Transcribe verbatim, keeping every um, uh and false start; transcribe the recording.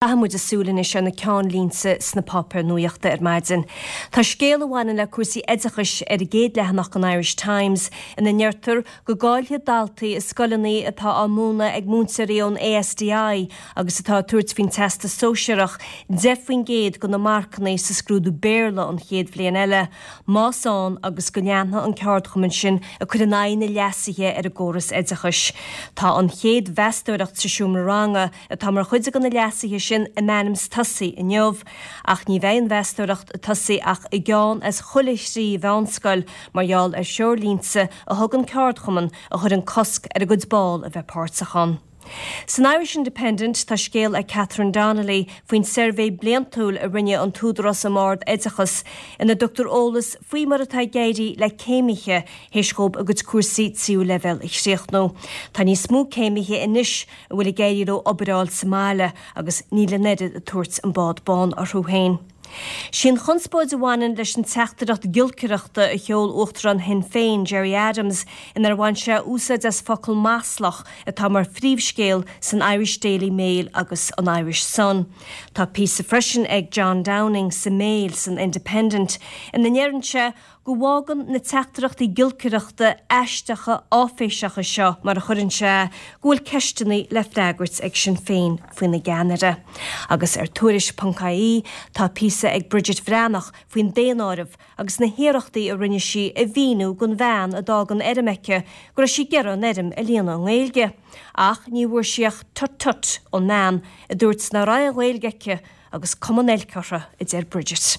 Caithfidh muid súil anois ar na ceannlínte sna páipéir nuachta ar maidin. Tá scéal a bhaineann le cúrsaí oideachais ar an gcéad leathanach an Irish Times ina ndeirtear go gcaillfidh daltaí i scoileanna atá á múineadh ag múinteoirí ón A S D I agus atá ag tabhairt faoin Teastas Sóisearach deich faoin gcéad de na marcanna sa scrúdú Béarla an chéad bhliain eile, más ann agus go leanfaidh an ceardchumann sin ag cur in aghaidh na leasuithe ar an gcóras oideachais. Tá an chéad mheastóireacht sa seomra ranga atá mar chuid de na leasuithe sin in ainm is tosaí inniu, ach ní bheidh an mheastóireacht ag tosaí ach i gceann as chuile thrí mheánscoil mar gheall ar threoirlínte a thug an ceardchumann a chuireann cosc ar a gcuid ball a bheith páirteach ann. San Irish Independent tá scéal ag Catherine Donnelly faoin suirbhé bliantúil a rinne an tÚdarás um Ard-Oideachas ina dtugtar eolas faoi mar atá ag éirí le céimithe théis dóibh a gcuid cúrsaí tríú leibhéal a chríochnú. Tá níos mó céimithe anois a bhfuil ag éirí leo obair a fháil sa mbaile agus níl an oiread ag tabhairt an bád bán orthu féin. Sin chonspóid a bhaineann leis an teachtaireacht giolcaireachta a sheol Uachtarán Shinn Féin Gerry Adams inar bhain sé úsáid as focal maslach atá mar phríomhscéal san Irish Daily Mail agus an Irish Sun. Tá píosa freisin ag John Downing sa Mail san Independent ina ndeireann sé go bhfágann na teachtaireachtaí giolcaireachta aisteacha áiféiseacha seo mar a chuireann sé go bhfuil ceisteanna le freagairt ag Sinn Féin faoina gceannaire. Agus ar tuairisc ponc I E tá píosa ag Bridget Bhreathnach faoin daonáireamh agus na hiarrachtaí a rinne sí a mhíniú don bhean a d'fhág an fhoirm aici go raibh sí ag iarraidh an fhoirm a líonadh i nGaeilge. Ach ní bhfuair sí ach tut tut ón mbean a dúirt nach raibh an Ghaeilge aici agus cuma an oilc uirthi, a deir Bridget.